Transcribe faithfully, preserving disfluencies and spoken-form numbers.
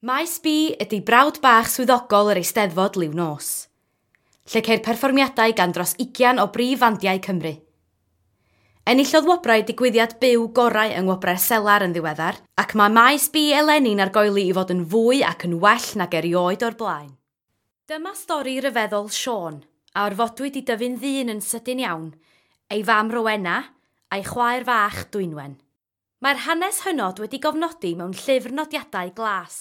Maes B ydy brawd bach swyddogol yr Eisteddfod liw nos, lle ceir perfformiadau gan dros ugian o brif fandiau Cymru. Enillodd wobrau digwyddiad byw gorau yng Ngwobrau'r Selar yn ddiweddar, ac mae Maes B eleni'n argoeli i fod yn fwy ac yn well nag erioed o'r blaen. Dyma stori ryfeddol Siôn, a orfodwyd i dyfu'n ddyn yn sydyn iawn, ei fam Rowena a'i chwaer fach Dwynwen. Mae'r hanes hynod wedi gofnodi mewn llyfr nodiadau glas,